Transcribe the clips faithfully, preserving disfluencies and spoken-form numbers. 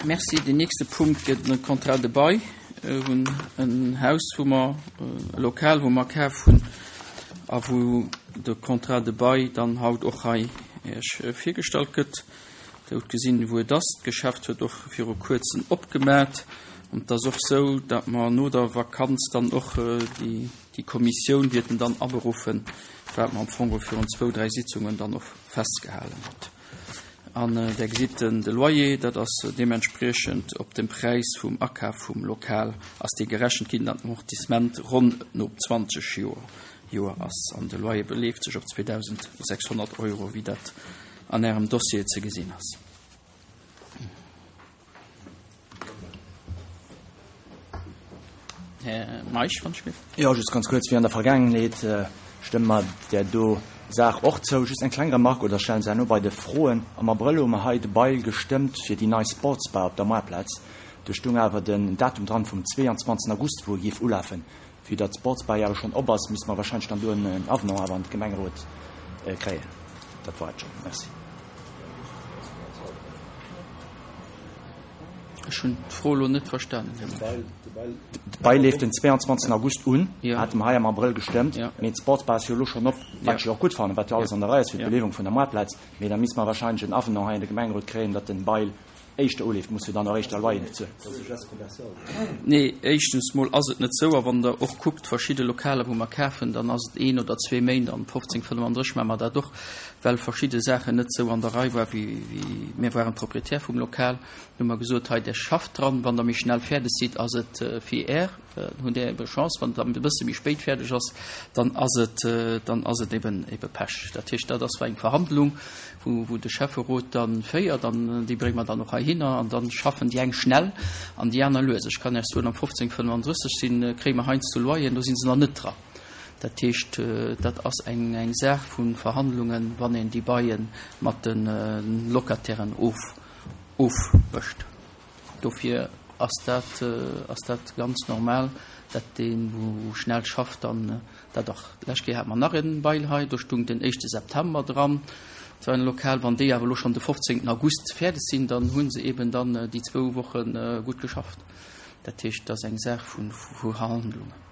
Merci. Den nächste Punkt gëtt e Contrat de bail. Hunn en Haus, wou mer, e Lokal, wou mer kaf hunn a wou de Contrat de bail dann haut och hei Iech virgestallt gëtt. Dir hutt gesinn, wou et ass. D'Geschäft huet och viru Kuerzem opgemat. An et ass och sou, datt mer no der Vakanz dann och déi, déi Kommissioun wäerten dann aberuffen, wat mer am Fong virun zwou, dräi Sitzungen dann och festgehalen hutt. An Der gesitt den, de Loyer, dat ass deementspriechend op dem Präis vum Akaf vum Lokal ass dee gerechent ginn, datt den Amortissement ronn no zwanzeg Joer, Joer ass. An de Loyer beleeft sech op zweedausendsechshonnert Euro, wéi dat an Ärem Dossier ze gesinn ass. Här Meisch, wann ech géif. Jo, just ganz kuerz, wéi an der Vergaangenheet stëmme mer där do Saach och zou. Just eng kleng Remarque, oder stellen se herno bei de Froen. Am Abrëll hu mer hei de Bail gestëmmt fir déi nei Sportsbar op der Moartplaz. Do stung awer den Datum dran vum zweeanzwanzegsten August, wou e géif ulafen. Vue datt d'Sportsbar jo awer schonn op ass, misste mer wahrscheinlech dann do en Avenant awer an de Gemengerot kréien. Dat war et schonn. Merci. Ech hunn d'Fro elo net verstanen, Här Meisch. De Bail leeft den zweeanzwanzegsten August un, hate mer hei am Abrëll gestëmmt. Mee d'Sportsbar ass jo elo schonn op, wat ech jo och gutt fannen, wat jo alles an der Rei ass fir d'Beliewung vun der Moartplaz. Mee da misste mer wahrscheinlech en Avenant hei an de Gemengerot kréien, datt den Bail éischter uleeft, muss jo dann och éischter Loyeren bezuelen. Nee, éischtens mol ass et net sou. A wann Der och kuckt, verschidde Lokaler, wou mer kafen, dann ass et een oder zwee Méint, an fofzéng fënnefandrësseg maache mer dat och, well verschidde Saachen net sou an der Rei war wéi mir waren Proprietär vum Lokal. Hu mer gesot, hei, Der schafft dran, wann Der méi schnell fäerdeg sidd, ass et fir Är, dann hutt Der ebe Chance, wann et e bësse méi spéit fäerdeg ass, dann ass et, dann ass et eben, ebe Pech. Dat heescht, dat ass eng Verhandlung, wou, wou de Schäfferot da féiert an déi brénge mer dann och heihinner an da schaffen déi eng schnell an déi aner lues. Ech kann Iech soen, am fofzéng fënnefandrësseg sinn, kréie mer heiansdo Loyeren, do si se nach net dran. Dat heescht, dat ass eng, eng Saach vu Verhandlungen, wann een déi Baile mat de Locatairen of, ofmécht. Dofir ass dat, ass dat ganz normal, dat deen, wou schnell schafft, dann dat och. D'lescht Kéier hate mer nach e Bail hei, do stung den éischte September dran, dat war en Lokal. Wann déi awer elo schonn de fofzéngten August fäerdeg sinn, dann hu se eben dann déi zwou Woche gutt geschafft. Dat heescht, dat ass eng Saach vu Verhandlungen.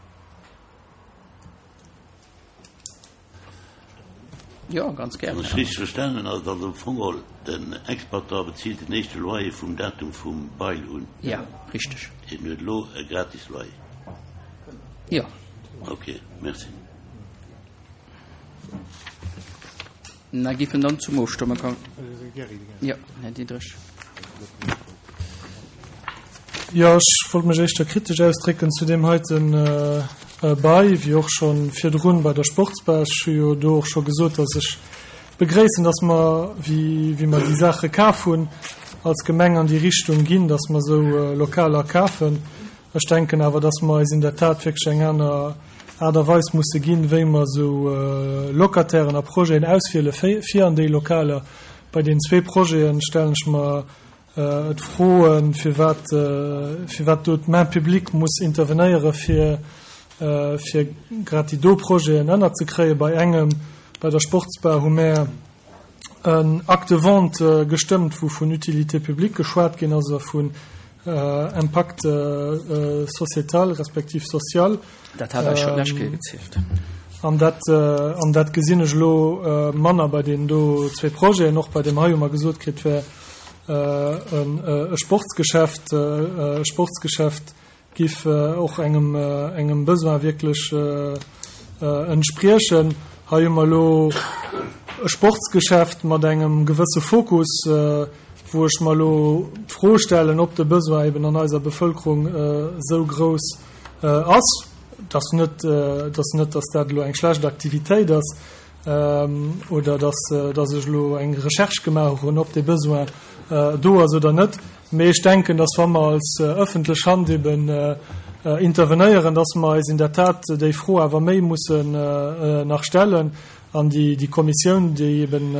Jo, ganz gär. Wann ech richteg verstanen hunn, ass et also am Fong geholl, den Exploitant bezilt den éischte Loyer vum Datum vum Bail un. Ja, richteg. Hien huet elo e gratis Loyer. Jo. Ok, merci. Na, géifen dann zum Ofstëmme kommen. Jo, Här Diderich. Jo, ech wollt mech éischter kritesch ausdrécken zu deem heiten Bail, wéi och scho virdrun bei der Sportsbar. Ech hu jo do och scho gesot, dass ech begréissen, dass mer, wéi wéi mer déi Saache kaf hunn, als Gemeng an déi Richtung ginn, dass mer esou Lokaler kafen. Ech denken awer, dass mer eis in der Tat wierklech eng aner Aart a Weis musse ginn, wéi mer esou Locatairen a Projeten auswiele fir an déi Lokaler. Bei deenen zwee Projete stellen ech mer d'Fro, firwat firwat do d'Main publique muss intervenéiere fir fir grad déi do Projeten ënnerzekréien. Bei engem, bei der Sportsbar, hu mär en Acte de vente gestëmmt, wou vun Utilité publique geschwat ginn ass a vun Impact sociétal respektiv social. Dat hat eis scho d'lescht Kéier gezielt. An dat, an dat gesinn ech elo manner bei deenen do zwee Projeten. Och bei deem hei hu mer gesot kritt, wär e Sportsgeschäft, e Sportsgeschäft giff och engem, engem Besoin wierklech entspriechen. Hei hu mer elo e Sportsgeschäft mat engem gewësse Fokus, wou ech mer elo d'Fro stellen, ob de Besoin eben an eiser Bevëlkerung esou grouss ass. Et ass net, et ass net, dass dat elo eng schlecht Aktivitéit ass oder dass, dass ech elo eng Recherche gemaach hunn, ob dee Besoin do ass oder net. Mee ech denken, dass wa mer als öffentlech Hand eben intervenéieren, dass mer eis in der Tat déi Fro awer méi mussen nach stellen an déi, déi Kommissioun, déi eben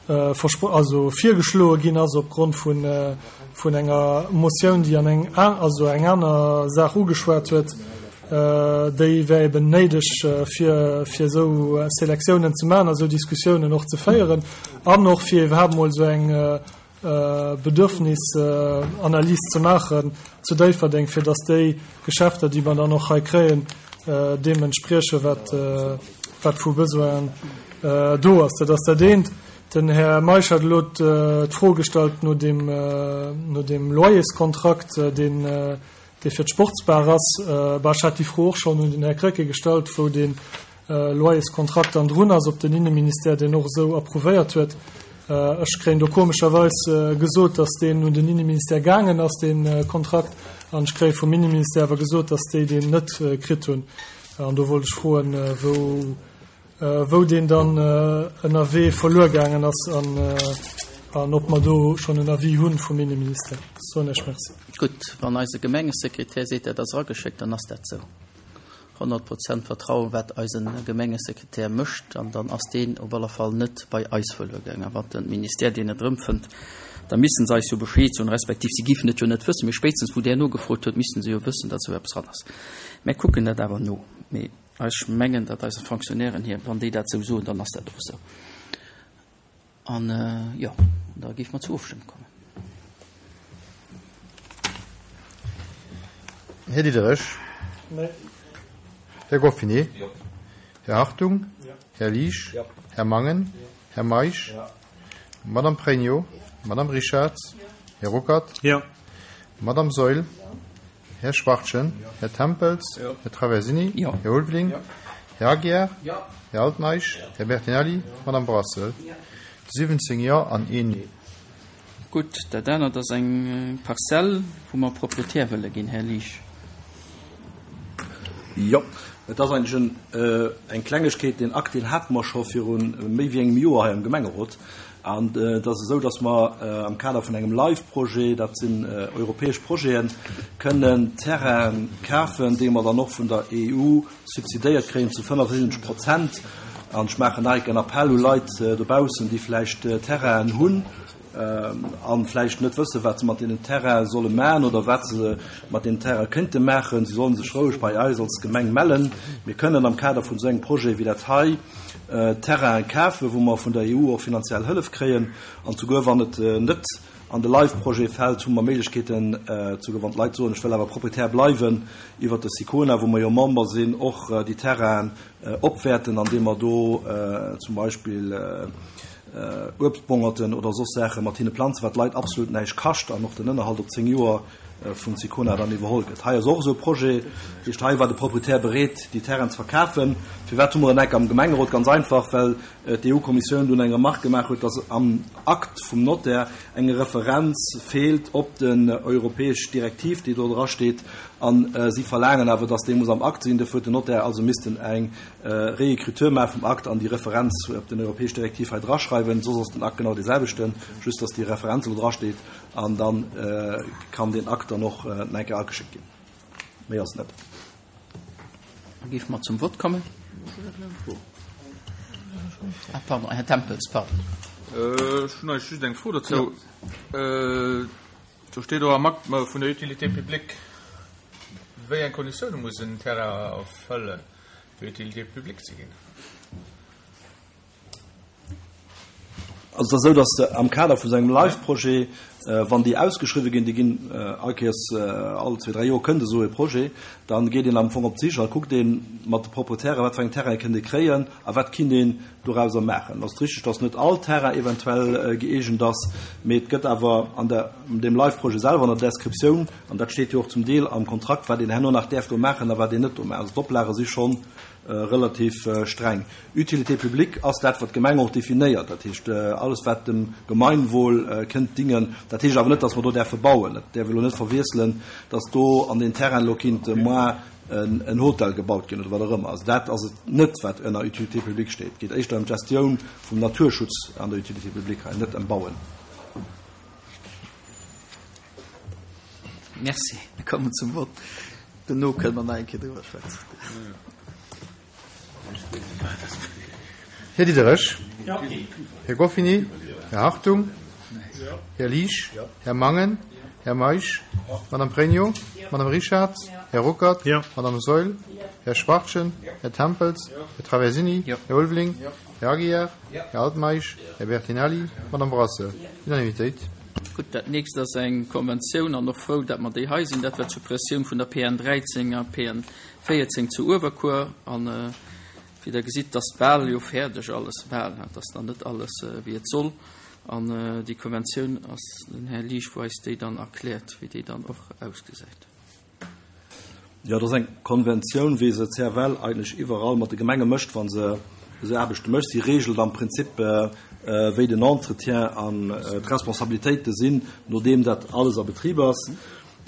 also virgeschloe ginn ass opgrond vun, vun enger Motioun, déi an eng, also eng aner Saach ugeschwat huet, déi wär eben néideg, fir, fir esou Selektiounen ze maachen a esou Diskussiounen och ze féieren an och fir iwwerhaapt emol esou eng Bedürfnisanalys ze maachen zu Déifferdeng, fir dass déi Geschäfter, déi mer dann och hei kréien, deem entspriechen, wat wat vu Besoinen do ass. Dat ass dat eent. Den Här Meisch hat elo d'Fro gestallt no deem no deem Loyerskontrakt, deen dee fir d'Sportsbar ass. Bah, ech hat déi Fro och schonn un den Här Krecké gestallt, wou dee Loyerskontrakt dann drun ass, ob den Inneministère deen och esou approuvéiert huet. Ech kréien do komescherweis gesot, datt deen un den Inneministère gaangen ass, dee Kontrakt, an ech kréie vum Inneministère awer gesot, datt déi deen net kritt hunn. An do wollt ech froen, wou wou deen dann ënnerwee verluer gaangen ass an an ob mer do schonn en Avis hunn vum Inneministère. Soen ech Merci. Gutt, wann eise Gemengesekretär seet, dat ass erageschéckt, dann ass dat esou. Honnert Prozent Vertrauen, wat eise Gemengesekretär mécht, an dann ass deen op alle Fall net bei eis verluer gaangen. A wann de Ministère deen net erëmfënnt, da missten se eis jo Bescheed soen, respektiv si géifen et jo net wëssen, mee spéitstens wou där nogefrot huet, missten se jo wëssen, datt esou eppes eran ass. Mär kucken dat awer no. Mee ech mengen, datt eise Fonctionnairen hier, wann déi dat esou soen, dann ass dat och esou. An, jo, da géife mer zur Ofstëmmung kommen. Här Diderich. Nee. Här Goffinet. Jo. Här Hartung. Jo. Här Liesch. Jo. Här Mangen. Jo. Här Meisch. Jo. Madame Pregno. Jo. Madame Richarz. Jo. Här Ruckert. Jo. Madame Saeul. Jo. Här Schwachtgen. Jo. Här Tempels. Jo. Här Traversini. Jo. Här Ulveling. Jo. Här Aguiar. Jo. Här Altmeisch. Jo. Här Bertinelli. Jo. Madame Brassel. Jo. siwwenzéng Jo an een Nee. Gutt, dat anert ass eng Parzell, wou mer Proprietär wëlle ginn, Här Liesch. Jo, et ass eigentlech eng Klengegkeet. Deen Akt, deen hate mer scho viru méi wéi engem Joer hei am Gemengerot. An et ass esou, datt mer am Kader vun engem LIFE-Projet, dat sinn europäesch Projeten, kënnen Terraine kafen, déi mer dann och vun der E U subsidéiert kréien zu fënnefundsiwwenzeg Prozent. An ech maachen nach en Appell u Leit dobaussen, déi vläicht Terrainen hunn a vläicht net wëssen, wat se mat deenen Terrainen solle maachen oder wat se mat deenen Terrainen kënnte maachen. Si sollen sech roueg bei eis als Gemeng mellen. Mir kënnen am Kader vun esou engem Projet wéi dat hei Terrainen kafen, wou mer vun der E U och finanziell Hëllef kréien. An souguer wann et net an de LIFE-Projet fält, hu mer Méiglechkeeten, souguer wann d'Leit soen, ech wëll awer Proprietär bleiwen, iwwer de Sicona, wou mer jo Member sinn, och déi Terrainen opwäerten, andeem mer do zum Beispill Uebstbongerten oder soss Saache mat hinne planzen, wat d'Leit absolut näischt kascht an och den Ënnerhalt op zéng Joer vun Sicona dann iwwerholl gëtt. Hei ass och esou e Projet, dat heescht, hei war de Proprietär bereet, déi Terrainen ze verkafen. Firwat hu mer en Eck am Gemengerot? Ganz einfach, well d'E U-Kommissioun dunn eng Remarque gemaach huet, dass am Akt vum Notaire eng Referenz feelt op den europäesch Direktiv, déi do dra steet, an si verlaangen awer, dass déi muss am Akt sinn. Dofir huet den Notaire also missten eng Réécriture maache vum Akt an déi Referenz op den europäesch Direktiv hei draschreiwen. Soss ass den Akt genau dee selwechten, just dass déi Referenz elo drasteet, an dann kann den Akt dann och nach eng Kéier ageschéckt ginn. Méi ass et net. Da géife mer zum Vott kommen. Ah, pardon, Här Tempels, pardon. Ech hunn eigentlech just eng Fro dozou. Do steet och am Akt vun der Utilité publique, wéi eng Konditioune muss en Terrain erfëllen, fir Utilité publique ze ginn? Also et ass esou, datt am Kader vu sengem LIFE-Projet, wann déi ausgeschriwwe ginn, déi ginn all Kéiers all zwee, dräi Joer kënnt esou e Projet, dann geet een am Fong op d'Sich a kuckt een mat de Proprietären, wat fir eng Terraine kënnt ee kréien a wat kinnt een dorauser maachen. Et ass richteg, datt net all Terrain eventuell gëeegent ass, mee et gëtt awer an der, an deem LIFE-Projet selwer an der Descriptioun, an dat steet jo och zum Deel am Kontrakt, wat een herno nach däerf do maachen a wat een net do maachen. Also d'Oplage si schonn relativ streng. Utilité publique ass dat, wat d'Gemeng och definéiert. Dat heescht, alles, wat dem Gemeinwohl kënnt dingen. Dat heescht awer net, datt mer do däerfe bauen. Dat däerf elo net verwiesselen, datt do an den Terrain elo kinnt moar en Hotel gebaut ginn oder wat och ëmmer. Also dat ass et net, wat ënner Utilité publique steet. Et geet éischter ëm d'Gestioun vum Naturschutz an der Utilité publique hei, net ëm Bauen. Merci. Mir kommen zum Vott. Dono kënne mer nach eng Kéier driwwer schwätzen. Här Diderich. Ja. Här Goffinet. Här Hartung. Här Liesch. Här Mangen. Här Meisch. Madame Pregno. Madame Richarz. Här Ruckert. Ja. Madame Saeul. Här Schwachtgen. Här Tempels. Här Traversini. Här Ulveling. Här Aguiar. Här Altmeisch. Här Bertinelli. Madame Brassel. Unanimitéit. Gutt, dat nächst ass eng Konventioun, an och frou, dat mer déi hei sinn. Dat war d'Suppressioun vun der P N dräizéng a P N véierzéng zu Uewerkuer. An, wéi Der gesitt, ass bal jo fäerdeg alles, bal, et ass nach net alles, wéi et soll. An déi Konventioun ass den Här Liesch, wou eis déi dann erkläert, wéi déi dann och ausgesäit. Jo, dat ass eng Konventioun, wéi se C F L eigentlech iwwerall mat de Gemenge mécht, wa se esou Aarbechte mécht. Si regelt am Prinzip, wéi den Entretien an d'Responsabilitéite sinn, nodeem dat alles a Betrib ass.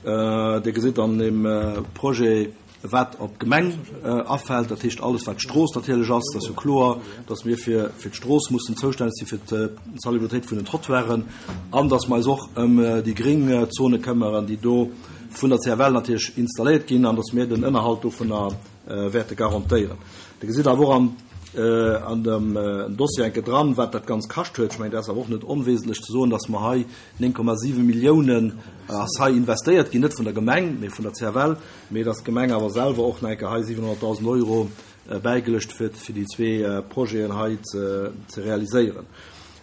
Dir gesitt an dem Projet, wat op d'Gemeng afält, dat heescht alles, wat d'Strooss natierlech ass. Dat ass jo kloer, dass mir fir, fir d'Strooss mussen zoustänneg sinn, fir d'Salubritéit vun den Trottoiren, an dass mer eis och ëm déi gréng Zone këmmeren, déi do vun der C F L natierlech installéiert ginn, an dass mir den Ënnerhalt dovunner wäerte garantéieren. Dir gesitt awer och an, an dem Dossier enke dran, wat dat ganz kascht huet. Ech mengen, dat ass awer och net onwesentlech ze soen, dass mer hei néng Komma siwe Milliounen ass hei investéiert ginn, net vun der Gemeng, mee vun der C F L, mee dass d'Gemeng awer selwer och nach enke hei siwenhonnertdausend Euro bäigeluecht huet, fir déi zwee Projeten hei ze, ze realiséieren.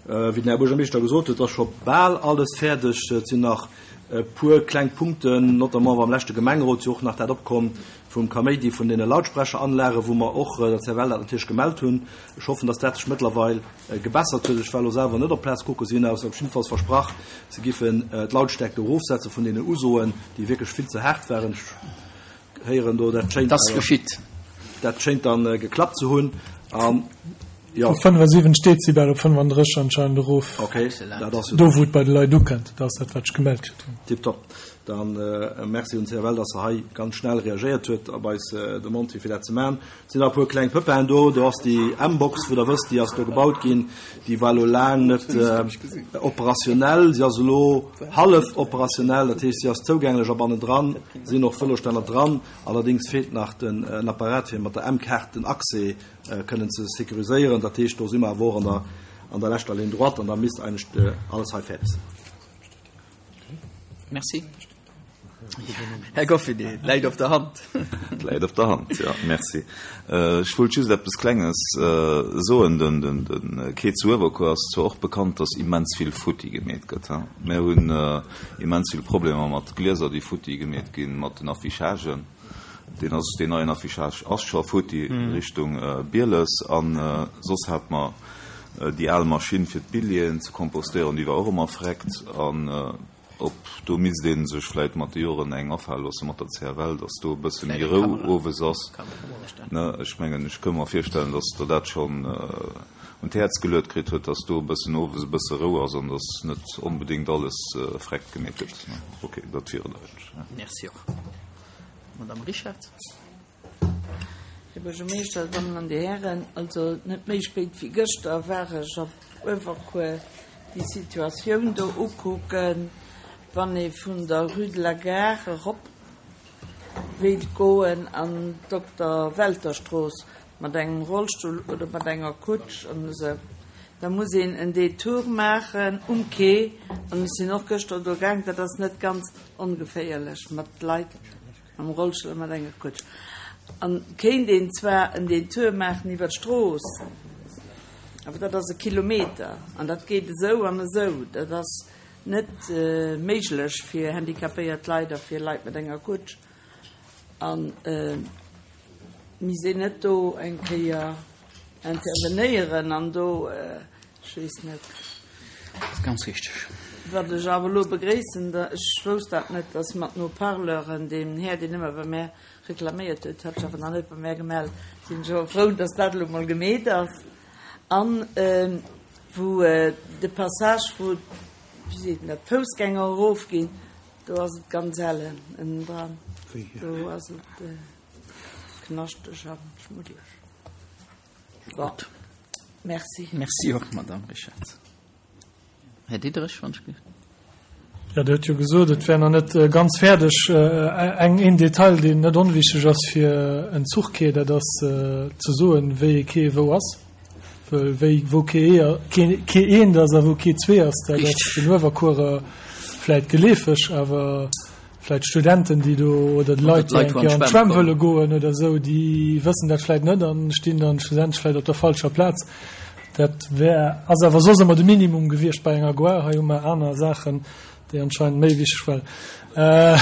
Wéi den Här Buergermeeschter gesot huet, ass scho bal alles fäerdeg. Et sinn nach e puer kleng Punkten, notamment war am leschte Gemengerot jo och nach dat opkomm vum Kaméidi vun den Lautsprecheranlagen, wou mer och der C F L dat natierlech gemellt hunn. Ech hoffen, dass dat sech mëttlerweil gebessert huet. Ech war elo selwer net op Plaz kucken, si hunn aus op jeden Fall versprach, se giffen d'Lautstärke erofsetzen vun den Usoen, déi wierklech vill ze haart waren. Ech héieren do, dat schéint Das geschitt. Dat schéint dann geklappt ze hunn. An ja. Op fënnefundsiwwenzeg Dezibel op fënnefundrësseg anscheinend erof. Okay, dat ass jo Do, wou et bei de Leit ukënnt, dat ass dat, wat ech gemellt kritt hunn. Tipptopp. Dann, äh, merci un C F L, dass se hei ganz schnell reagiert huet op eis, äh, Demande, fir dat ze maachen. Et sinn nach e puer kleng Pëppen do. Do ass déi M-Box, wou der wësst, déi ass do gebaut ginn. Déi war lo laang net, äh, operationell. Si ass elo hallef operationell, dat heescht, si ass zougänglech a bannendran sinn och Vëlostänner dran. Allerdings feelt nach den, äh, Apparat, fir mat der M-Kaart den Accès, äh, kënnen ze sécuriséieren. Dat heescht, do si mer awer och an der, an der leschter Ligne droite an da misst eigentlich, äh, alles hei fäerdeg sinn. Merci. Herr Goffinet, läit op der Hand. Läit op der Hand, ja, merci. Äh, ech wollt just etwas Klenges, äh, soen. Den, den, den Quai zu Uewerkuer ass zwar och bekannt, dass immens vill Futti gemeet gëtt, ha? Mir hunn, äh, immens vill Problemer mat Glieser, déi futti gemeet ginn, mat den Affichagen. Den ass, den neien Affichage ass scho futti Mhm. Richtung, äh, Bieles an, äh, soss hat mer, äh, déi al Maschinn fir d'Billien ze kompostéieren, déi war och ëmmer freckt an, äh, ob do misst een sech vläicht mat de Joren eng afale loosse mat der C F L, dass do e bësse méi Vläicht eng Rou Kamera. owes ass. Kamera stellen. Ne, ech mengen, ech kann mir virstellen, dass der dat schon, äh, un d'Häerz geluet kritt huet, dass do e bëssen owes e bësse Rou ass an dass net onbedingt alles, äh, freckt gemeet gëtt. Ne? Okay, dat wier et eigentlich, ja. Merci och. Madame Richard. Herr Buergermeeschter, Damen an die Herren, also net méi spéit wéi gëschter war ech op Uewerkuer déi Situatioun do ukucken, wann ee vun der Rue de la Gare erop wéilt goen an Dokter Welterstrooss mat engem Rollstull oder mat enger Kutsch an esou. Da muss een en Detour maachen um Quai an ech sinn och gëschter do gaang, dat ass net ganz ongeféierlech mat Leit am Rollstull mat enger Kutsch. An kéint een zwar en Detour maachen iwwer d'Strooss, awer dat ass e Kilometer an dat geet esou an esou. Dat ass net, äh, méiglech fir handicapéiert Leit a fir Leit mat enger Kutsch. An, äh, mir sinn net do eng Kéier intervenéieren an do, äh, ech weess net. Das ist ganz richtig. Wat ech awer lo begréissen, da, ech wousst dat net, dass mat no Parleuren, dem Här, deen ëmmer bei mir reklaméiert huet, hat ech awer nach net bei mir gemellt. Sinn scho frou, dass dat lo mol gemeet ass. An, ähm, wou, äh, de Passage, wou, wie seet dat, Foussgänger erofginn, do ass et ganz helle ënnen dran. Do ass et, äh, knaschteg an schmuddeleg. Bon. Gut. Merci. Merci och, Madame Richard. Herr Diederich, wann ich ge- Ja, der huet jo gesot, et wär nach net, äh, ganz fäerdeg. Äh, eng, een Detail, deen net onwichtig ass fir en Zuchquai, dat ass, äh, ze soen, wéi e Quai wou ass. Well wéi, wou Quai e, Quai, Quai eent ass a wou Quai zwee ass, dat ass Richtig. den Uewerkuerer vläicht geleefeg, awer vläicht Studenten, déi do oder Oder Leit, déi d'Leit, eng wou an Kéier an d'Schwämm d'Schwämm kommen. wëlle goen oder sou, déi wëssen dat vläicht net an stinn dann schlussendlech vläicht op der falscher Plaz. Dat wär, ass awer soss ëmmer de Minimum gewiescht bei enger Gare. Hei hu mer aner Saachen, déi anscheinend méi wichteg waren. Äh,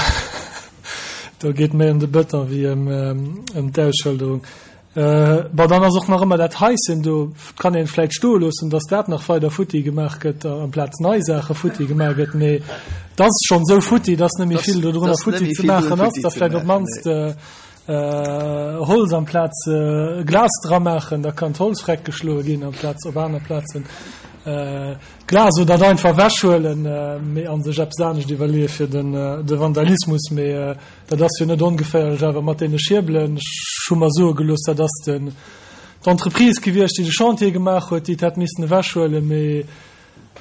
do geet méi ëm de Bëton wéi ëm, ëm d'Ausschëlderung. Äh, bon, dann ass och nach ëmmer dat Haischen do, kann een vläicht stoe loossen, dass dat nach weider futti gemaach gëtt, amplaz nei Saache futti gemaach gëtt, mee dat ass schonn esou futti, dass net méi vill do drënner futti ze maachen ass, da vläicht op d'mannst äh, äh, Holz amplaz äh, Glas dra maachen, da kann d'Holz freckgeschloe ginn amplaz op aner Plazen äh, Glas oder dat einfach ewechhuelen, äh, mee an sech eppes anescht iwwerleeë fir den, äh, de Vandalismus, mee äh, dat ass jo net ongeféierlech, awer mat deene Schierbelen, ech hu mer soe gelooss, dat ass den d'Entreprise gewiescht, déi de Chantier gemaach huet, déi et hätt missen ewechhuelen, mee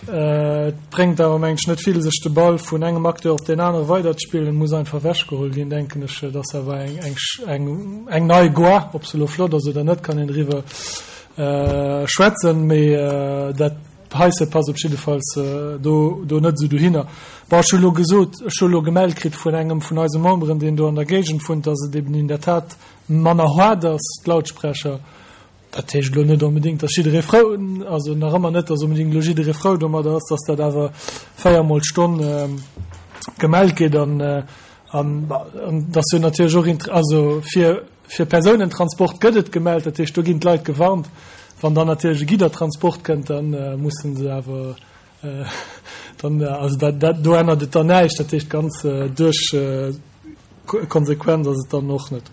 äh, et bréngt awer mengen ech net vill, sech de Ball vun engem Acteur op deen anere weiderzespillen, muss einfach ewechgeholl ginn, denken ech, dat ass awer eng, eng, eng, eng nei Gare, ob se elo flott ass oder net, kann een driwwer äh, schwätzen, mee äh, dat Haisse passt op jiddefalls äh, do, do net esou dohinner. Bon, ech hu lo gesot, ech hu lo gemellt kritt vun engem vun eise Memberen, deen do an der Géigend wunnt, dass et eben in der Tat manner haart ass, d'Lautsprecher. Dat heescht elo net onbedéngt, dass jidderee frou, also nach ëmmer net, dass onbedéngt elo jidderee frou domadder ass, dass dat awer véiermol d'Stonn äh, gemellt gëtt an, äh, an, an dass jo natierlech och int-, also fir, fir Persounentransport gëtt et gemellt, dat heescht, do ginn d'Leit gewarnt. Wann dann natierlech e Giddertransport kënnt, dann äh, mussen se awer äh, dann, äh, also dat, dat, do ännert et dann näischt, dat heescht ganz äh, duerch äh, konsequent ass et dann och net.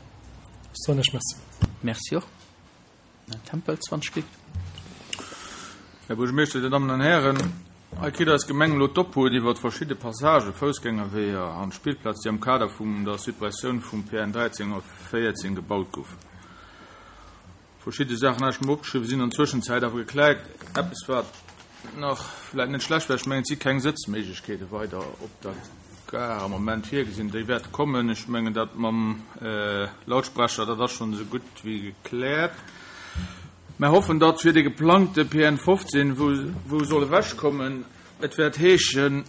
Soen ech Merci. Merci och. Här Tempel, zwanzeg Klick. Här Buergermeeschter, Dir Dammen an Hären, hei kritt eis Gemeng elo d'Obhut iwwer verschidde Passagen, Foussgängerweeër an Spillplaz, déi am Kader vun der Suppressioun vum P N dräizéng a véierzéng gebaut goufen. Verschidde Saachen habe ich mir opgeschriwwen, sinn an der Zwëschenzäit awer gekläert. Eppes, wat nach vläicht net schlecht wär, ech mengen, et si keng Sëtzméiglechkeete weider op der Gare am Moment virgesinn. Déi wäerte kommen. Ech mengen, dat mam, äh, Lautsprecher, dat ass schonn esou gutt wéi gekläert. Mir hoffen, datt fir de geplangte P N fofzehn, wou, wou soll ewechkommen, et wäert heeschen,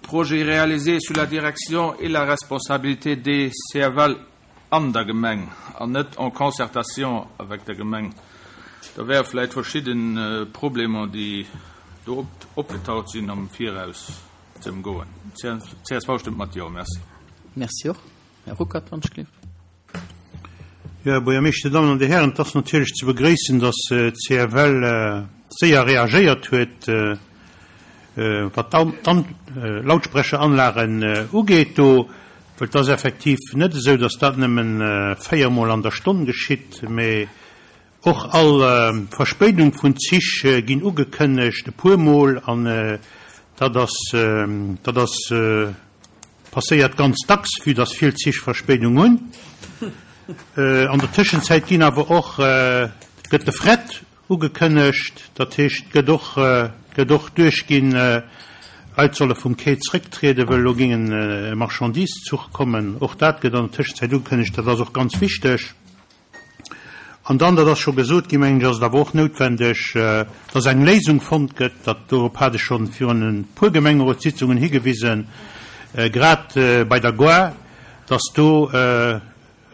Projet réalisé sous la direction et la responsabilité des C F L an der Gemeng an net en concertation avec der Gemeng. Da wäre vläicht verschidden, äh, Problemer, déi do op-, opgetaucht sinn am Viraus ze ëmgoen. C S V stëmmt mat Jo, merci. Merci och. Här Ruckert, wann ech gleef. Ja, Här Buergermeeschter, Dir Dammen an Dir Hären, et ass natierlech ze begréissen, datt d'C F L, äh, séier reagéiert huet, äh, äh, wat d'An-, Lautsprecheranlagen, äh, ugeet do, well et ass effektiv net esou, datt dat nëmmen, äh, véiermol an der Stonn geschitt, mee och all, äh, Verspéidung vun Zich, äh, ginn ugekënnegt e puermol an, äh, dat ass, äh, dat ass, äh, passéiert ganz dacks, vue datt vill Zich Verspéidung hunn. Äh, an der Tëschenzäit ginn awer och, äh, gëtt de Fret ugekënnegt, dat heescht, gëtt och, äh, gëtt och duerchginn, äh, Leit solle vum Quai zrécktrieden, well lo géing en, äh, Marchandiszuch kommen. Och dat gëtt an der Tëschenzäit ugekënnegt, dat ass och ganz wichteg. An dann, dat ass scho gesot ginn, mengen ech, ass et awer och noutwendeg, äh, dass eng Léisung fonnt gëtt, dat dorop hat ech schonn virun e puer Gemengerotssitzungen higewisen, äh, grad, äh, bei der Gare, dass do, äh,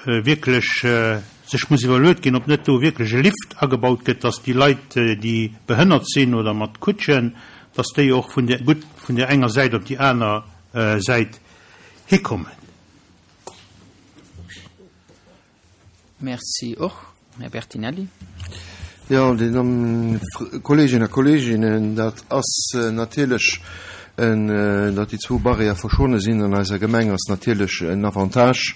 äh, wierklech, äh, sech muss iwwerluecht ginn, ob net do wierklech e Lift agebaut gëtt, dass déi Leit, äh, déi behënnert sinn oder mat Kutschen, dass déi och vun der, gutt vun der enger Säit op déi aner, äh, Säit hikommen. Merci och, Här Bertinelli. Ja, Dir Dammen, Kolleginnen a Kolleginnen, dat ass, äh, natierlech en, äh, datt déi zwou Barrière verschonne sinn an eiser Gemeng ass natierlech en Avantage,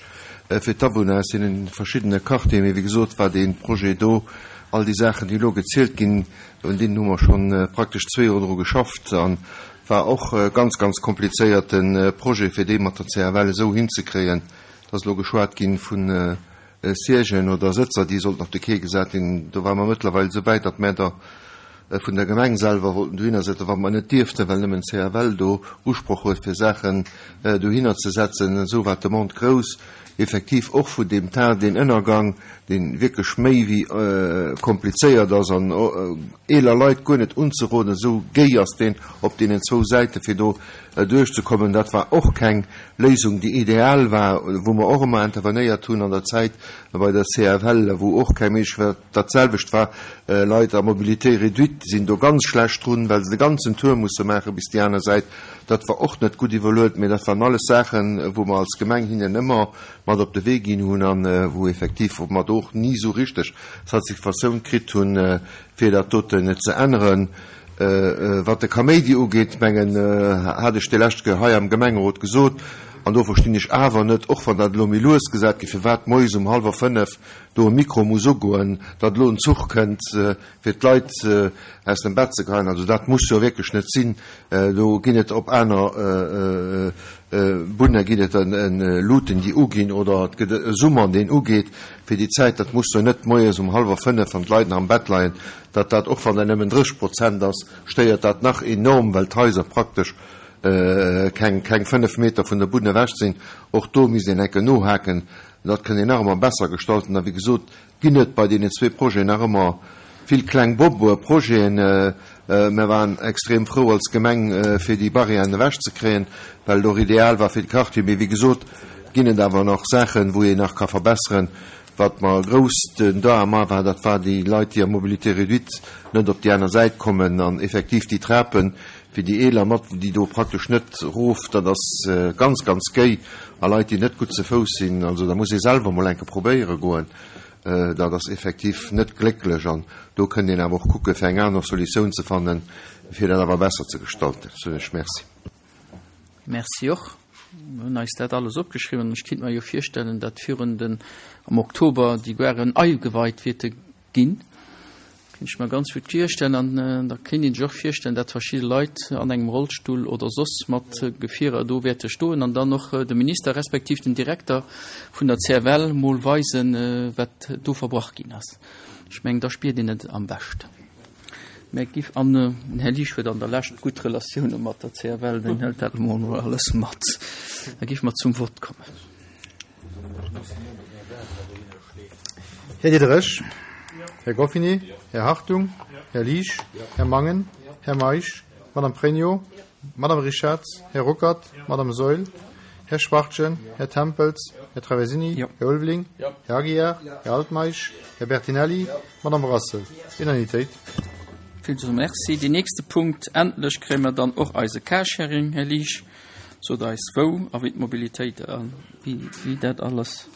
äh, fir d'Awunner aus den verschiddene Quartieren. Mee wéi gesot, war dee Projet do, all déi Saachen, déi elo gezielt ginn, un deenen hu mer schonn, äh, praktesch zwee Joer dru geschafft an war och, äh, ganz, ganz komplizéierten, äh, Projet, fir dee mat der C F L esou hinzekréien, dass elo geschwat ginn vun, äh, Siègen oder Sëtzer, déi sollten op de Quai gesat ginn. Do war mer mëttlerweil so wäit, datt mer da, äh, vun der Gemeng selwer wollten dohinner setzen, wat mer net dierften, well nëmmen C F L do Usproch huet, fir Saachen, äh, dohinner ze setzen. Esou war d'Demande grouss. Effektiv och vun dem Teil, den Ënnergang, deen wierklech méi wéi, äh, komplizéiert ass an, äh, eeler Leit guer net unzeroden, esou géi ass deen op deenen zwou Säite, fir do duerchzekommen. Dat war och keng Léisung, déi ideal war, wou mer och ëmmer intervenéiert hunn an der Zäit bei der C F L, wou och keng Méiglechkeet war. Dat selwecht war Leit à mobilité réduite sinn do ganz schlecht drun, well se de ganzen Tour musse maache bis déi aner Säit. Dat war och net gutt iwwerluet, mee dat waren alles Saachen, wou mer als Gemeng hinnen ëmmer mat op de Wee ginn hunn an wou effektiv wou mer do och ni esou richteg Satisfaktioun kritt hunn, fir dat doten ze änneren. Wat de Kaméidi ugeet, mengen hat ech déi lescht Kéier hei am Gemengerot gesot, an do verstinn ech awer net, och wann dat elo méi lues gesat gëtt, firwat moies um hallwer fënnef do e Mikro muss ugoen, datt elo en Zuch kënnt, fir d'Leit aus dem Bett ze geheien. Also dat muss jo wierklech net sinn. Do ginn et op aner Bunne ginn et Luuten, déi uginn, oder et gëtt e Summer, deen ugeet fir déi Zäit. Dat muss jo net moies um hallwer fënnef, wann d'Leit nach am Bett leien, datt dat, och wann dat nëmmen drësseg Prozent ass, stéiert dat nach enorm, well d'Haiser praktesch keng keng fënnef Meter vun der Bunn ewech sinn. Och do misst een enke nohaken. Dat kënnt een nach ëmmer besser gestalten. A wéi gesot, ginn et bei deenen zwee Projeten nach ëmmer vill kleng Bobo-Projeten. Mir waren extrem frou als Gemeng, fir déi Barrièren ewechzekréien, well et och ideal war fir de Quartier. Mee wéi gesot, ginn et awer nach Saachen, wou een nach ka verbesseren. Wat mer grouss den Drama war, dat war déi Leit, déi a mobilité réduite net op déi aner Säit kommen an effektiv déi Trapen fir déi Eeler mat, déi do praktesch net rof, dat ass ganz, ganz géi a Leit, déi net gutt ze Fouss sinn, also da muss ee selwer mol enke probéiere goen, dat ass effektiv net glécklech an do kënnt een awer och kucke fir eng aner Solutioun ze fannen, fir dat awer besser ze gestalten. Soen ech Merci. Merci och. Mir hunn eis dat alles opgeschriwwen. Ech kinnt mer jo virstellen, datt virun den am Oktober déi Garen ageweit wäerte ginn. Kinnt ech mer ganz gutt virstellen. An da kéint een sech och virstellen, datt verschidde Leit an engem Rollstull oder soss mat Gefierer do wäerte stoen an dann och de Minister respektiv den Direkter vun der C F L mol weisen, wat do verbrach ginn ass. Ech mengen, da spiert een et am beschten. Mä giff an den Här Liesch huet an der Lescht gutt Relatioune mat der C F L, deen hëlt dat emol alles mat. Da géife mer zum Vott kommen. Här Diderich? Här Goffini? Här Hartung? Här Liesch? Här Mangen? Här Meisch? Madame Pregno? Madame Richarz? Här Ruckert? Madame Saeul? Här Schwachtgen? Här Tempels? Här Traversini? Här Ulveling? Här Aguiar? Här Altmeisch? Här Bertinelli? Madame Brassel? Unanimitéit. Villmools Merci. Deen nächste Punkt, endlech kréie mer dann och eise Carsharing, Här Liesch. Sot eis wou a wéi d'Mobilitéit a wéi, wéi dat alles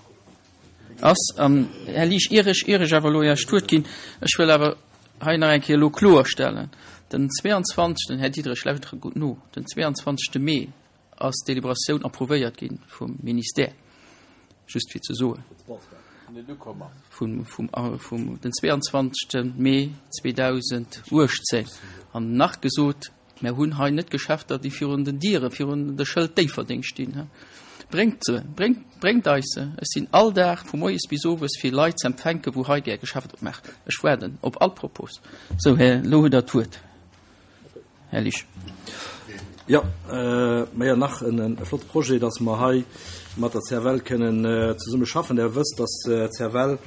ass. An Här Liesch, ier ech, ier ech awer elo Iech d'Wuert ginn, ech wëll awer hei nach eng Kéier elo kloerstellen, den zweiundzwanzegsten. Här Diderich, lauschtert gutt no, den zweiundzwanzegste Mee ass d'Deliberatioun approuvéiert gi vum Ministère. Just fir ze soen. Vum, vum, vum den zweiundzwanzegste Mee zweedausenduechtzéng. An nach gesot, mir hunn hei net Geschäfter, déi virun den Diere, virun de Schëld Déifferdeng stinn. Bréngt se, bréngt, bréngt eis se. Ech sinn all Dag vu moies bis owes fir Leit ze empfänken, wou hei gär Geschäft opmaacht. Ech waarden op all Propos. Sou, Här, elo hutt Der d'Wuert. Här Liesch. Jo, mä jo nach en flotte Projet, dass mer hei mat der C F L kënnen zesumme schaffen. Der wësst, dass d'C F L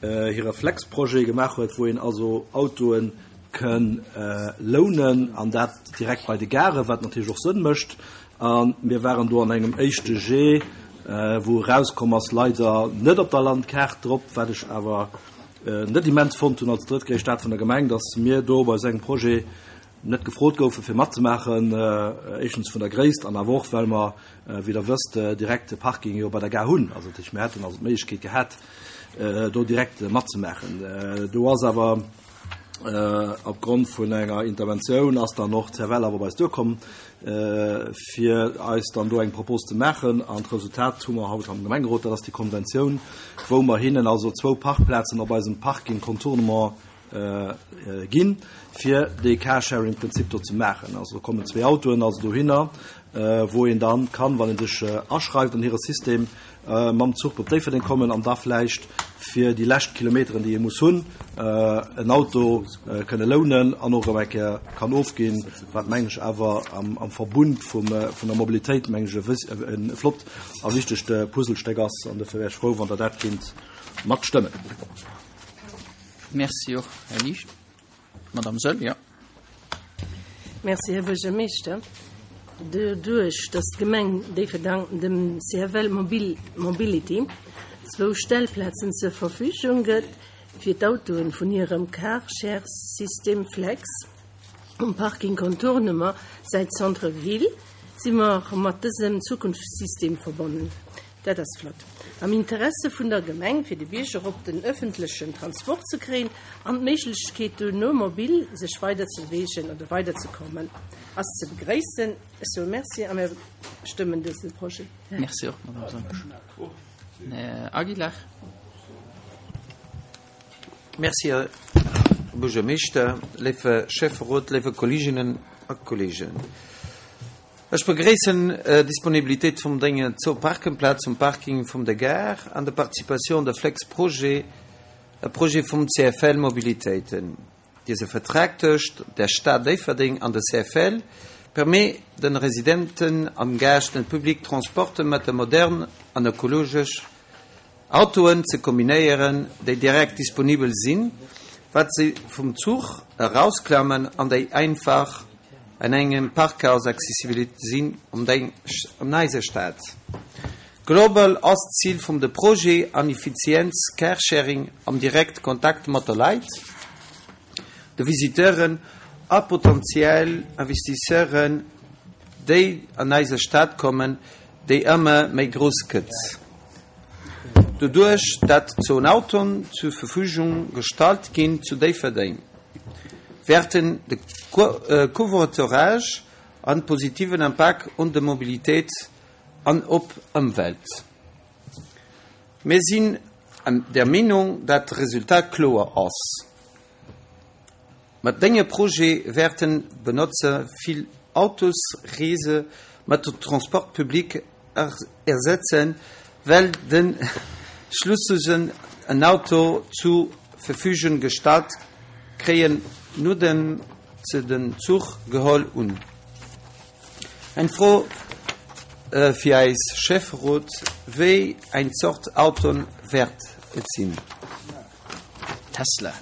hire Flex-Projet gemaach huet, wou een also Autoe kënn lounen an dat direkt bei de Gare, wat natierlech och Sënn mécht. A mir waren do an engem éischte Jet, wou erauskomm ass, leider net op der Landkaart drop, wat ech awer net immens fonnt hunn als drëttgréisst Stad vun der Gemeng, dass mir do bei esou engem Projet net gefrot goufe fir matzemaachen, éischtens vun der Gréisst an awer och well mer, wéi Der wësst, direkt de Parking jo bei der Gare hunn. Also dat heescht, mir hätten also d'Méiglechkeet gehat, do direkt matzemaachen. Do ass awer opgrond vun enger Interventioun ass dann och d'C F L awer bei eis duerkomm, fir eis dann do eng Propos ze maachen. An d'Resultat hu mer haut am Gemengerot, dat ass déi Konventioun, wou mer hinnen also zwou Parkplazen op eisem Parking Contournement ginn, fir dee Carsharing-Prinzip do ze maachen. Also do kommen zwee Autoen also dohinner, wou een dann kann, wann een sech aschreift an hire System, mam Zuch op Déifferdeng kommen an da vläicht fir déi lescht Kilometeren, déi ee muss hunn, en Auto kënne lounen an och erëm eng Kéier kann ofginn, wat mengen ech awer am Verbund vum vun der Mobilitéit mengen ech e flott a wichtegt Puzzlestéck ass. An dofir wär ech frou, wann Der dat kinnt matstëmmen. Merci och, Här Liesch. Madame Saeul, jo. Merci, Här Buergermeeschter. Doduerch, dass d'Gemeng Déifferdeng dem C F L Mobility zwou Stellplazen zur Verfügung gëtt, fir d'Autoen vun hirem Car-Share-System Flex um Parking Contournement säit Centre Ville, si mer mat dësem Zukunftssystem verbonnen. Dat ass flott. Am Interesse vun der Gemeng, fir de Bierger op den ëffentlechen Transport ze kréien an d'Méiglechkeet duerno mobil sech weiderzebewegen oder weiderzekommen, ass ze begréissen. Ech soe Merci a mir stëmmen dëse Projet. Merci och, Madame Sonnesch. Här Aguilar. Merci, Här Buergermeeschter, léife Schäfferot, léife Kolleeginnen a Kolleegen. Ech begréissen d'Disponibilitéit vum denge zwou Parkenplaz um Parking vum der Gare an der Participatioun de Flex-Projet, e Projet vum C F L Mobilitéiten. Dese Vertrag tëscht der Stad Déifferdeng an der C F L permet den Residenten an Gäscht den Public Transporte mat de modern an ökologesch Autoen ze kombinéieren, déi direkt disponibel sinn, wat se vum Zuch erausklammen an déi einfach an engem Parkhaus accessibel sinn um eiser Stad. Global ass d'Zil vum de Projet an Effizienz Carsharing am direkt Kontakt mat der Leit, de Visiteuren a potentiell Investisseuren, déi an eiser Stad kommen, déi ëmmer méi grouss gëtt. Doduerch, dat zwou Autoen zur Verfügung gestallt ginn zu Déifferdeng, wäerten de Covoiturage an positiven Impakt un de Mobilitéit an op Ëmwelt. Mir sinn der Meenung, dat d'Resultat kloer ass. Mat denge Projet wäerten Benotzer vill Autosreese mat de Transport public ersetzen, well den Schlussusen en Auto zur Verfügung gestallt kréien, nodeem se den Zuch geholl hunn. Eng Fro fir eis Schäfferot, Wéi eng Zort Autoen wäert et sinn? Tesla.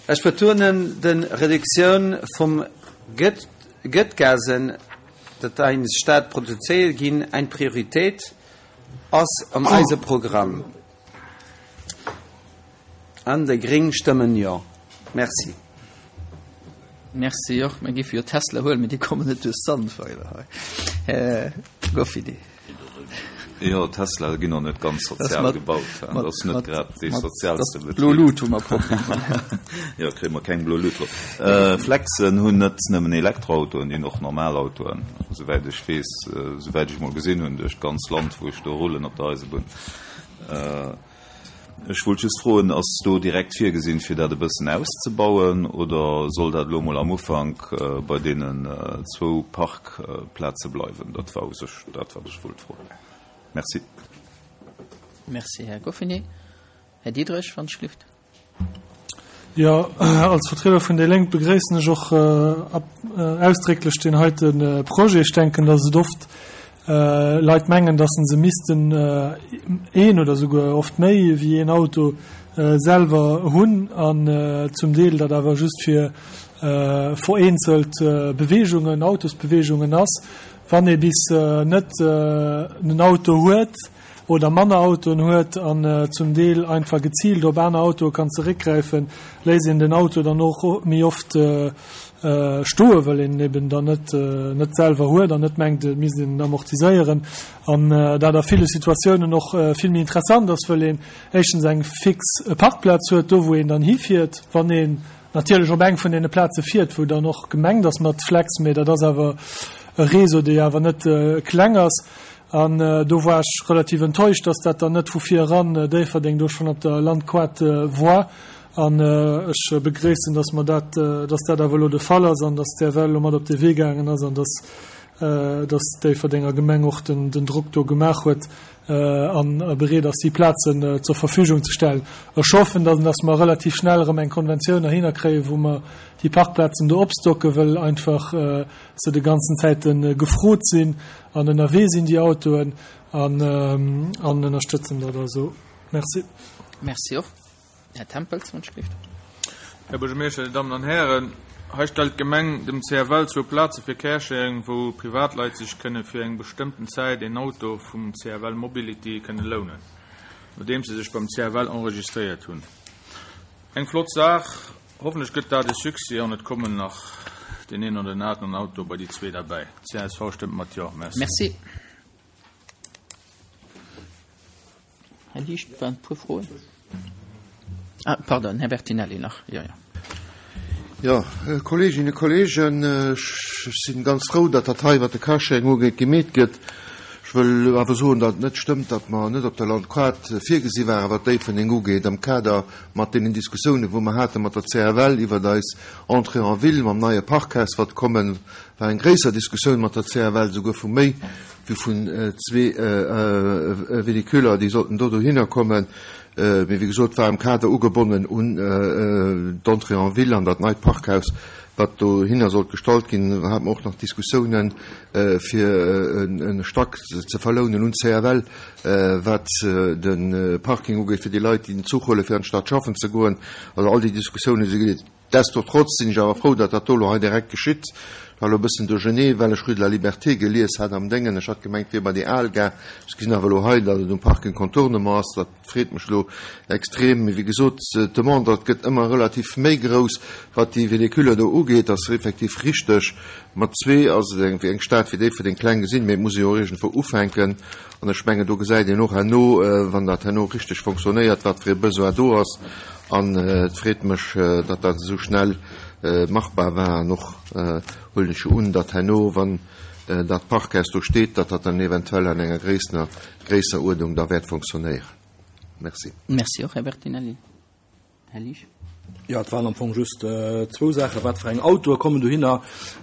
Ech betonen den Reduktioun vum Gëttgasen, dat eis Stad produzéiert ginn, eng Prioritéit ass am eise Programm. An déi Gréng stëmmen Jo. Merci. Merci och. Mir géife jo Tesla huelen, mee déi kommen net duerch Sandweiler hei. Här Goffini. Jo, Tesla ginn och net ganz sozial gebaut. Dat ass net grad dee soziaalste Betrib. Blo Lut hu mer Problemer. Jo, kréie mer keng blo Lut drop. Flexen hunn net nëmmen Elektroautoen, déi hunn och normal Autoen, esouwäit ech weess, esouwäit ech emol gesinn hunn duerch d'ganz Land, wou ech do rullen op der Eisebunn. Ech wollt just froen, ass do direkt virgesinn, fir dat e bëssen auszebauen, oder soll dat elo emol am Ufank bei deenen zwou Parkplaze bleiwen? Dat war u sech dat, wat ech wollt froen. Merci. Merci, Här Goffinet. Här Diderich, wann ech gelift. Jo, als Vertrieder vun déi Lénk begréissen ech och ausdrécklech deen heite Projet. Ech denken, dass et oft Leit mengen, dass se missten een oder souguer oft méi wéi een Auto selwer hunn an zum Deel dat awer just fir vereenzelt Beweegungen, Autosbeweegungen ass. Wann ee bis net en Auto huet oder manner Autoen huet an zum Deel einfach geziilt op aner Autoe kann zeréckgräifen, léisst een den Auto dann och méi oft stoen, well een eben dann net net selwer huet an net mengt, et misst een en amortiséieren. An dat a ville Situatiounen och vill méi interessant ass, well een éischtens eng fix Parkplaz huet, do wou een dann hifiert, wann een natierlech op eng vun deene Plaze fiert, wou dann och gemengt ass mat Flex, mee dat ass awer e Réseau, dee awer net kleng ass. An do war ech relativ enttäuscht, dass dat dann net vu vir eran Déifferdeng do schonn op der Landquart war. An ech begréissen, dass mer dat, dass dat awer elo de Fall ass an dass d'R W L elo mat op de Wee gaangen ass an dass, dass d'Déifferdenger Gemeng och den, den Drock do gemaach huet an bereet ass, déi Plazen zur Verfügung ze stellen. Ech hoffen, dass, dass mer relativ schnell erëm eng Konventioun erhinner kréien, wou mer déi Parkplazen do opstocken, well einfach se de ganzen Zäite gefrot sinn an ënnerwee sinn, déi Autoen, an, an ënnerstëtzen dat also. Merci. Merci och. Här Tempels, wann ech gelift. Här Buergermeeschter, Dir Dammen an Hären, hei stellt d'Gemeng dem C F L zwou Plaze fir Carsharing, wou Privatleit sech kënne fir eng bestëmmten Zäit een Auto vum C F L Mobility kënne lounen, nodeems se sech beim C F L enregistréiert hunn. Eng flott Saach, hoffentlech gëtt dat e Succès an et kommen nach deen een oder den aneren Auto bei déi zwee derbäi. C S V stëmmt mat Jo. Merci. Merci. Här Liesch, et waren e puer Froen. Ah, pardon, Här Bertinelli nach. Jo, jo. Jo, Kolleeginnen, Kolleegen, ech si ganz frou, datt dat hei, wat de Carsharing ugeet, gemeet gëtt. Ech wëll awer soen, datt et net stëmmt, datt mer net op der Landquart virgesi waren, wat Déifferdeng ugeet, am Kader mat deenen Diskussiounen, wou mer hate mat der C F L iwwert eis Entrée en ville mam neie Parkhaus, wat kommen, war eng gréisser Diskussioun mat der C F L, souguer vu méi wéi vun zwee Véhiculer, déi sollten do dohinner kommen. Mee wéi gesot, war am Kader ugebonnen un d'Entrée en ville an dat neit Parkhaus, wat dohinner sollt gestallt ginn. Da hate mer och nach Diskussiounen, fir e Stack ze verlounen un C F L, wat de Parking ugeet, fir déi Leit, déi den Zuch huelen, fir an d'Stad schaffen ze goen. Also all déi Diskussiounen si gedeelt. Destotrotz sinn ech awer frou, datt dat do elo hei direkt geschitt. Ech war elo e bëssen duerchenee, well ech Rue de la Liberté gelies hat am Déngen. Ech hat gemengt, et wier bei déi al Gare. Ech gesinn awer elo hei, datt et um Parking Contournement ass. Dat freet mech elo extrem. Mee wéi gesot, d'Demande, dat gëtt ëmmer relativ méi grouss, wat déi Véhiculer do ugeet. Dat ass effektiv richteg. Mat zwee ass et eng, fir eng Stad wéi Déifferdeng kleng gesinn, mee et muss ee jo och iergendwou ufänken. An ech mengen, do gesäit een och herno, wann dat herno richteg fonctionnéiert, wat fir e Besoin do ass. An et freet mech, datt dat esou schnell machbar war. An och huelen ech jo un, datt herno, wann dat Parkhaus do steet, datt dat dann eventuell an enger gréissener Gréisseruerdnung da wäert fonctionnéieren. Merci. Merci och, Här Bertinelli. Här Liesch. Jo, et waren am Fong just zwou Saachen. Wat fir eng Autoe kommen dohinner?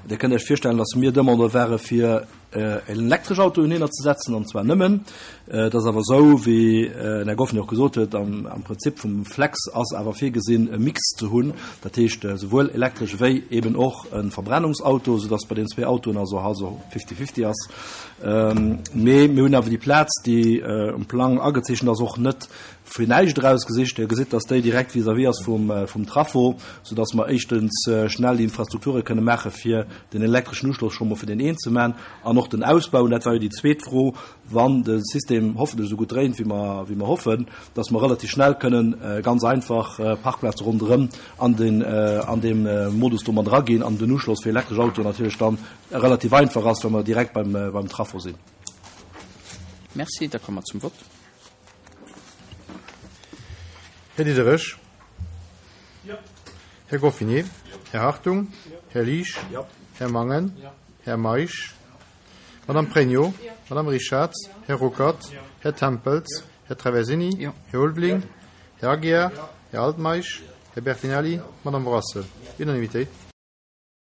Dir kënnt Iech virstellen, datt mir Demandeur ware fir elektresch Autoen hinner ze setzen, an zwar nëmmen. Et ass awer esou, wéi den Här Goffin och gesot huet, am, am Prinzip vum Flex ass awer virgesinn, e Mix ze hunn, dat heescht souwuel elektresch wéi eben och e Verbrennungsauto, soudass bei den zwee Autoen also also fifty-fifty ass. Mee mir hunn awer déi Plaz, déi um Plang agezeechent ass, och net fir näischt erausgesicht. Dir gesitt, dass déi direkt vis-à-vis ass vum, vum Trafo, soudass mer éischtens schnell déi Infrastrukture kënne maache fir den elektreschen Uschloss scho mol fir deen een ze maachen an och den Ausbau, und dat war jo déi zweet Fro, wann de System hoffentlech esou gutt dréint, wéi mer, wéi mer hoffen, dass mer relativ schnell kënnen ganz einfach Parkplaze ronderëm an den, an deem Modus do mat eraginn an den Uschloss fir elektresch Autoen natierlech dann relativ einfach ass, wa mer direkt beim, beim Trafo sinn. Merci, da komme mer zum Vott. Här Diderich. Jo. Här Goffinet. Jo. Här Hartung. Jo. Här Liesch. Jo. Här Mangen. Jo. Här Meisch. Jo. Madame Pregno. Jo. Madame Richarz. Jo. Här Ruckert. Jo. Här Tempels. Jo. Här Traversini. Jo. Här Ulveling. Jo. Här Aguiar. Jo. Här Altmeisch. Jo. Här Bertinelli. Jo. Madame Brassel. Jo. Unanimitéit.